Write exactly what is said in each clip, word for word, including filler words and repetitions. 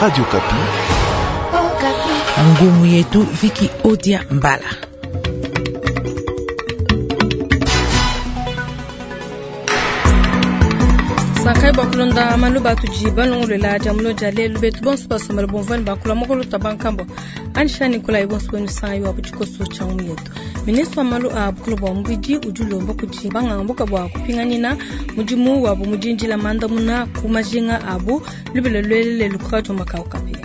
Radio Okapi. Ngumu yetu Viki Odia Mbala. Sankai bakulonda maluba tudi balongolola dia mulo dia lelu betu bonso basomela bomvani bakula mokolo ta bankambo anisha nikolai bonso benu sangai wa butshikoso tshia ngumu yetu. Ministre wa malu a bukulu bua mubidi udi ulomba kudi banganga buka bua kupinganina mudimu wabu mudindila mandamuna ku majinga abu lubila lwelele lukatu makaukapi.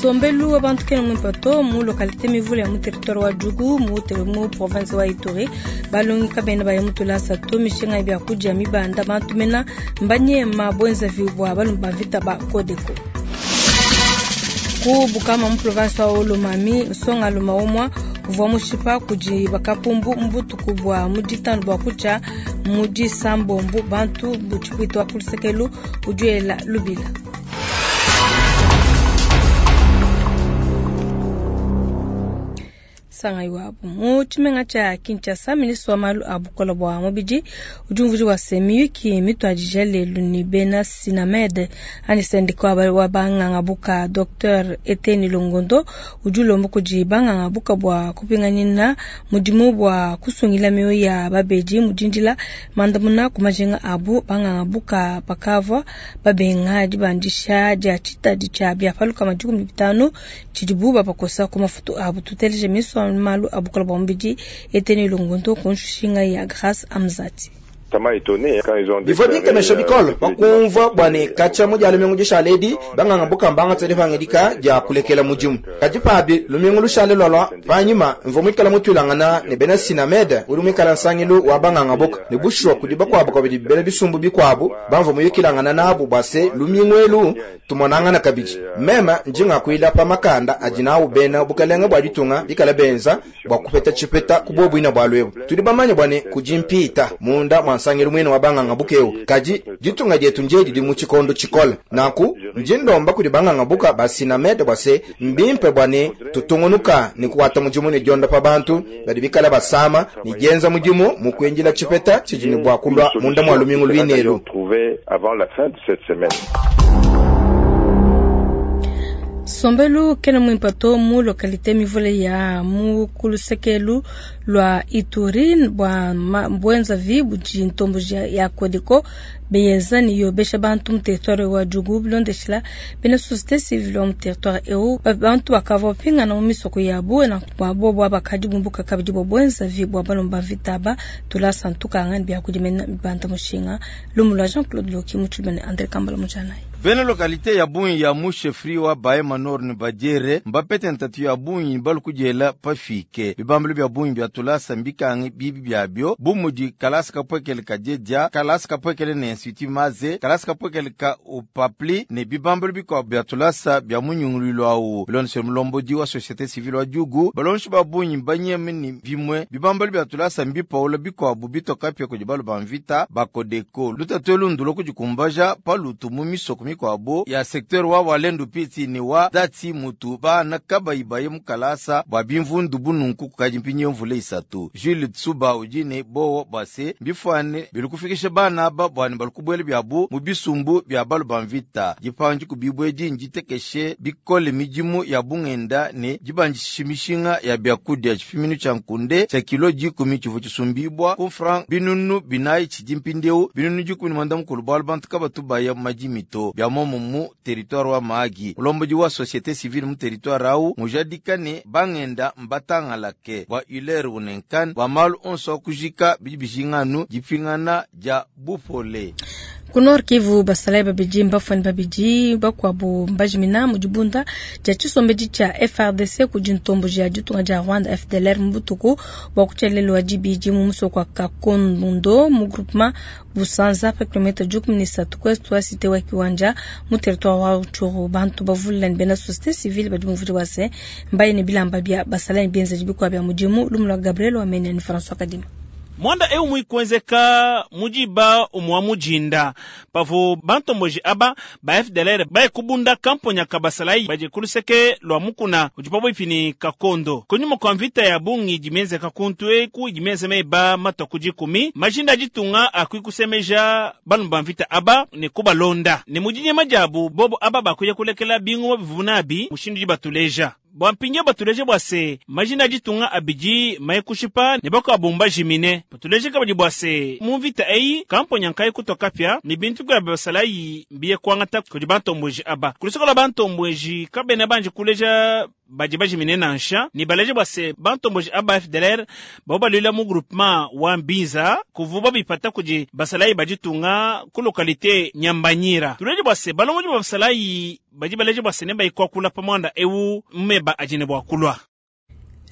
Sombelu wa bantu kena mwimpe to mu localité mivule ya mu territoire wa Djugu mu mu province wa Ituri balongi kabena baya mu tulasa to mishinga ya biakudia mibanda bantu mena mbanyema bwenzavi bua balumba vita ba Kodeko. Ku Bukama mu province wa Olomami nsonga luma umwa uvua mushipa kudi bakapumbu mbutuku bua mu ditanu bua kutshia mu disambombu bantu butshipwita wa kulusekelu udiela lubila. Sangai wabu mu tshimenga tshia Kinshasa, ministre wa malu a bukola bua mubidi udi umvuija wa se miyuki mituadija lelu ni bena Sinamed ani sendika wa banganga buka Docteur Eteni Longondo udi ulomba kudi banganga buka bua kupinganina mudimu bua kusungila mioyo ya babedi mudindila mandamuna ku majinga abu. Banganga buka bakavua babenga dibandisha dia tshitadi tshia biapaluka madikumi bitanu tshidibu babakosa ku mafutu abu. Tuteleje ministre wa malu a bukola bua mubidi Eteni Longondo ku nshinga ya Grace Amzati. Bivua binkemesha bikole bakumvua bua ne katshia mu dia lumingu dishale edi banganga buka mbangatshia dipangidika dia kulekela mudimu. Kadi pabi lumingu lushale lualua panyima mvua muikala mutuilangana ne bena Sinamed udi muikala nsangilu wa banganga buka ne bushuwa kudi bakuabu kabidi bena bisumbu bikuabu bamvua muyukilangana nabu bua se lumingu elu tumonangana kabidi. Meme ndi ngakuila pa makanda adi nawu bena bukalenge bua ditunga bikala benza bua kupeta tshipeta ku bobuina bua lwebu. Tudi bamanye bua ne kudi mpita munda mua nsangilu mwene wa banganga bukeu kadi ditunga dietu ndiedi didi mu tshikondo tshikole. Nanku ndi ndomba kudi banganga buka ba Sinamed bua se mbimpe bua ne tutungunuka ne kuata mudimu ne diondopa bantu badi bikala basama ne dienza mudimu mu kuendila tshipeta tshidi ne bua kulua munda mua lumingu luinelu. Sombelu kena mwimpe to mu localité mivule ya mu kulusekelu lwa Ituri bua bwenzavi budi ntombo ya Kodeko beyenza ni yobesha bantu mu territoire wa Djugu bilondeshela bena société civile wa mu territoire eu bantu bakavua bapingana mu misoko yabu na bua bobo bakadi bumbuka kabidi bua bwenzavi bua balomba mvita ba tulasa ntukanga biakudi mena banda mushinga lumu lwa Jean-Claude Loki mu tshilumene André Kambala mujanayi. Bena localité ya bungi ya mu chefferie wa Bahema Nord ni Badiere mbapete ntatu ya bungi balukudiela pafike bibambulu bya bungi bya tulasa mbikangi bibi byabyo bumudi kalasa kapwekele kadiedia kalasa kapwekele ne institut maze kalasa kapwekele ka upapli ne bibambulu bikuabu bya tulasa bya munyungululo awu bilondeshe mulombodi wa société civile wa Djugu balonshi ba bungi banyeme ni bimwe bibambulu bya tulasa mbipaula bikuabu bitokapya kudi balu ba mvita bakodeko lutatu elundulo kudikumbaja palutu mu misoko mikwabo ya secteur wa Walendu Piti ni wa dati mutu bana kabayibaye mukalasa bwa bimvundu bununku kukadi mpinyi mvula isatu. Jules Tsuba udi ne bowo bwase mbifwane bilikufikisha bana aba bwani balikubwela byabu mu bisumbu bya balu ba mvita dipanji kubibwedi nditekeshe bikole midimu ya bungenda ne dibanjisha mishinga ya byakudia tshipiminu tshia nkunde tshia kilo dikumi tshivua tshisumbibwa ku franc binunu binayi tshidi mpindiewu binunu dikumi ne mwanda mukulu bwalu bantu kabatu baya madimi to bya momo mu territoire wa Mahagi. Mulombodi wa société civile mu territoire au mujadika ne bangenda mbatangalake bwa Hilaire Unenkan bwa malu onso akujika bidi bijinganu dipingana dia bupole. Ku Nord Kivu basalai babidi mbafani babidi bakuabu mbajimina mu dibunda dia tshisombedi tshia F R D C kudi ntombo dia ditunga dia Rwanda F D L R mu butuku bua kutshielelwa dibidi mu musoko wa Kakondundo mu groupement Busanza pa kilomètre dikumi ne isatu ku est wa cité wa Kiwanja mu territoire wa Rutshuru. Bantu bavulila ne bena société civile badi muvudi wa se mbaye ne bilamba bia basalai bienzeji bikuabu bia mudimu lumu lwa Gabriel Wamenya ni François Kadima. Mwanda eu muikwenzeka mudiba umwa mujinda pavo bantomboji aba ba F D L R baye kubunda kamponya kabasalai baje kuluseke lwa mukuna ujipapo ifini kakondo kunyuma kwa mvita ya bungi jimeze kakuntwe ku jimeze meba mato kujikumi majinda jitunga akwikusemeja balumba mvita aba ne kubalonda ne mujinye majabu bobo aba bakuya kulekela bingu bivunabi mushindu jibatuleja bwampinge batuleje bwase majina jitunga abiji mayekushipa ne bako abumba jimine batuleje kabadi bwase mu mvita eyi kamponya nkai kutoka pya ni bintu kwa basalayi biye kwangata kudi bantombweji aba kulisokola bantombweji kabene banje kuleja baji bajimine nansha ni baleje bwase bantombweji aba F D L R babo balwila mu groupement wa Mbinza kuvuba bipata kudi basalayi bajitunga ku localité Nyambanyira tuleje bwase balongoji ba basalayi baji baleje bwase ne bayikwakula pamwanda ewu mmeba ajine bwakulwa.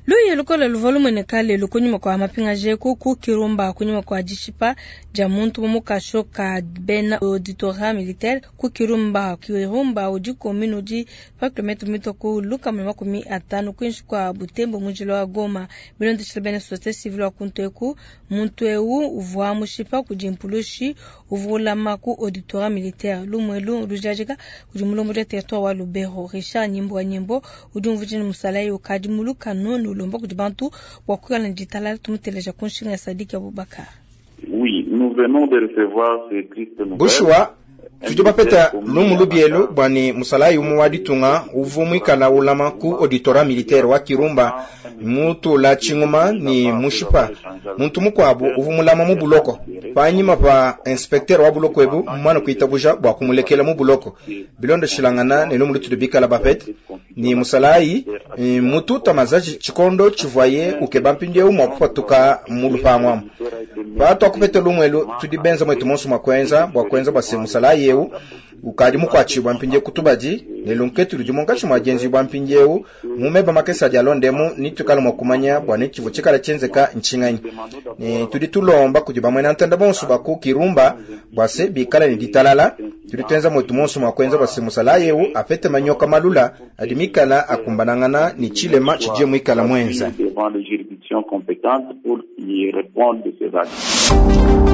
Luye lukola luvalu mwenekale lukunyuma kwa mapinga jeku ku Kirumba kunyuma kwa jishipa ja muntu mumukasho ka bena auditorat militaire ku Kirumba Kirumba udi commune udi pa kilometre mito ku luka mwe makumi atano kwinshi kwa Butembo mujilo wa Goma bilondeshela bena société civile wa kunteku muntu ewu uvwa mushipa kujimpulushi uvulama ku auditorat militaire lumwelu lujajika kudi mulombo ja territoire wa Lubero Richard Nyimbo wa Nyimbo udi mvujini musalai ukadi muluka nonu lomba kudi bantu bwa kuikala ditalala tumuteleja kunshinga ya Sadiki Abubakar. Oui, nous venons de recevoir ces tristes nouvelles. Bushwa tudi bapeta lumu lubielu bwani musalayi umu wa ditunga uvu mwikala ulama ku auditorat militaire wa Kirumba mutula chinguma ni mushipa muntu mukwabu uvu mulama mu buloko panyima pa inspecteur wa buloko ebu mwana kuitabuja bwa kumulekela mu buloko bilondo shilangana ne lumu lutudu bikala bapete ni musalayi mututa mazaji chikondo chivoye ukeba mpindie mwa kupatuka mu lupangwa patu akupete lumwelu tudi benza mwetu monso mwa kwenza bwa kwenza bwa se musalayi eu ukadi mukwachibwa mpindie kutubadi ne lunketu ludi munkachi mwa jenzi bwa mpindie eu mumeba makesa dia londemu nitukala mwa kumanya bwa nechivo chikala chenzeka nchinganyi ne tudi tulomba kudi bamwe ntanda bonso baku Kirumba bwa se bikala ni ditalala tudi twenza mwetu monso mwa kwenza bwa se musalayi eu apete manyoka malula adimikala akumbanangana ni chilema chije mwikala mwenza devant les juridictions compétentes pour y répondre de ces actes.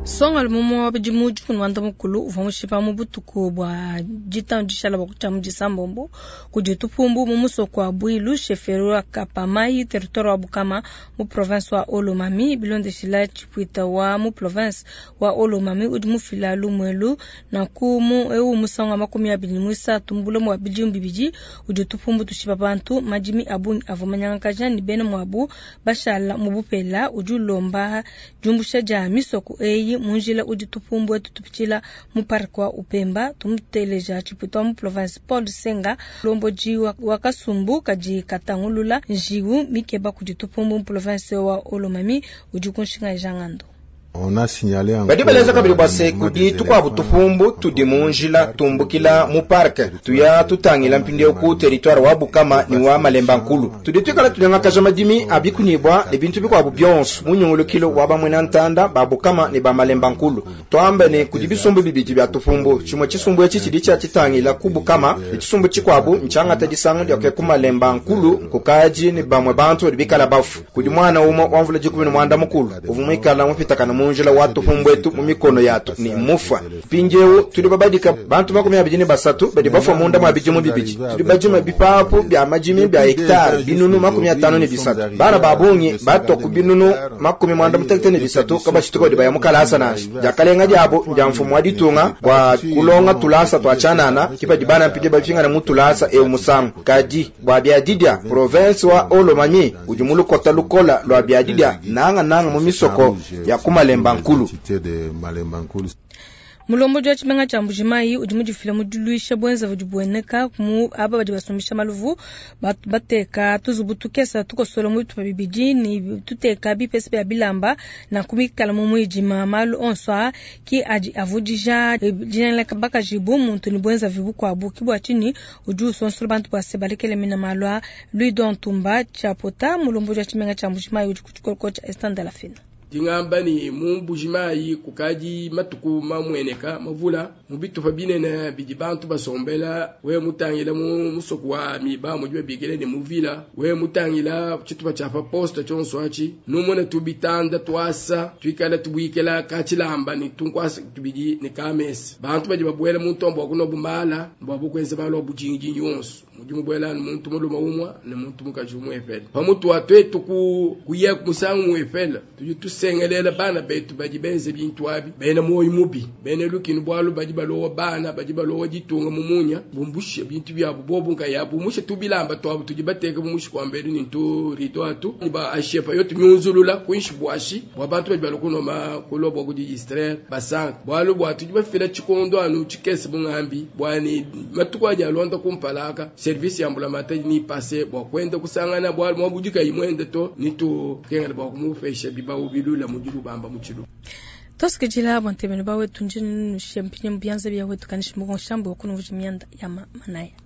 Songa lumomo wa bidimu dikumi wanda mukulu uvua mushipa mu butuku bua ditanu dishala bua kutshia mu disambombo kudi tupumbu mu musoko wa Bwilu sheferi wa Kapamai territoire wa Bukama mu province wa Olomami bilondeshila tshipwita wa mu province wa Olomami udi mufila lumwelu na ku mu ewu musangu makumi abili muisatu mbulomo wa bidimu bibidi udi tupumbu tushipa bantu madimi abungi avua manyangakaja ni bena muabu bashala mu bupela udi ulomba diumbusha dia misoko eyi munjila udi tupumbu etu tupitshila mu parc wa Upemba tumuteleja tshipwita wa mu province Paul Senga lomboji wa kasumbu kadi katangulula njiwu mikeba kudi tupumbu mu province wa Olomami udi kunshinga jangando. Badi baleza kabili bwa se kudi tukwabu tupumbu tudi munjila tumbukila mu park tuya tutangila mpindie ku territoire wa Bukama ni wa Malemba Nkulu tudi twikala tunyangakaja madimi abikunibwa ne bintu bikwabu byonso munyungulukilo wa bamwena ntanda ba Bukama ne ba Malemba Nkulu twambe ne kudi bisumbu bibidi bya tupumbu chimwe chisumbu echi chidi cha chitangila ku Bukama ne chisumbu chikwabu nchangata disango lya ku Malemba Nkulu kukaji ne bamwe bantu bikala bafu kudi mwana umo wamvula jikumi mwanda mukulu uvumwikala mupitakana munjila wa tupumbu etu mu mikono yatu ni mufa pinjeu tuli babadika bantu makumi abidi ne basatu badi bafwa munda mwa bijimu bibidi tuli bajima bipapu bya majimi bya hektare binunu makumi atano ne bisatu bana babungi batwa ku binunu makumi mwanda mutekete ne bisatu kabashituka badi baya mukalasa nashi jakalenga dyabo ndya mfumu wa ditunga bwa kulonga tulasa twachanana kipadi bana mpije bafingana mu tulasa ewu musangu kadi bwa byadidya province wa Olomami udi mulukota lukola lwa byadidya nanga nanga mu misoko ya kumalemba Nkulu. Mulombo jwa tshimenga tsha Mbujimayi udi mudifila muduluisha bwenza budi bueneka mu aba badi basumbisha maluvu bateka tuzubu tukesa tukosola mu bitupa bibidi ni tuteka bipesa bya bilamba na kumikala mu muidima malu onso a ki adi avudija dinanga bakajibu muntu ni bwenza vibukwabu kibwa chini udi usonsola bantu base balekele mina malu a Louis Don Tumba Chapota mulombo jwa tshimenga tsha Mbujimayi udi kutshikoloko tsha Estande la Fina. Dingamba ne mu Mbujimayi kukadi matuku mamueneka mavula mu bitupa binene bidi bantu basombela. We mutangila mu musoko wa Miba mudi babikila ne mu vila, we mutangila tshitupa tshia pa poste tshionso atshi numone tubitanda tuasa tuikala tubuikila katshilamba ne tunkwasa tubidi ne kamesa. Bantu badi babuela mu ntombo wa kunwa bumala bua bukwenza malu a budingidingi wonso mudi mubuela muntu mulume umwe ne muntu mukaji umwepele. Pamutu wa twetu ku kuya musangu mwepele tudi tusengelela bana betu badi benze bintu abi bena moyo mubi bena lukinu bwalu badi balowa bana badi balowa ditunga mumunya bumbushe bintu byabo bobu nkayabu bumushe tubilamba twabo tudi bateka bumushe kwa mbelu ni ntu rido atu ni ba ashepa yo tunyunzulula kuinshi bwashi bwa bantu badi balokunoma kulo bwa kudi distraire basanka bwalu bwa tudi bafila tshikondo anu tshikese bungambi bwani matuku adi alonda kumpalaka service ya mbulamatadi ni passe bwa kwenda kusangana bwalu mwabudika imwende to nitu kengela bwa kumupesha bibawu bilula mudilu bamba muchilu tosikijila bwantemelo ba wetu njini nushempinye mubyanza bya wetu kanishi mugonshamba wakunuvuja myanda ya manaya.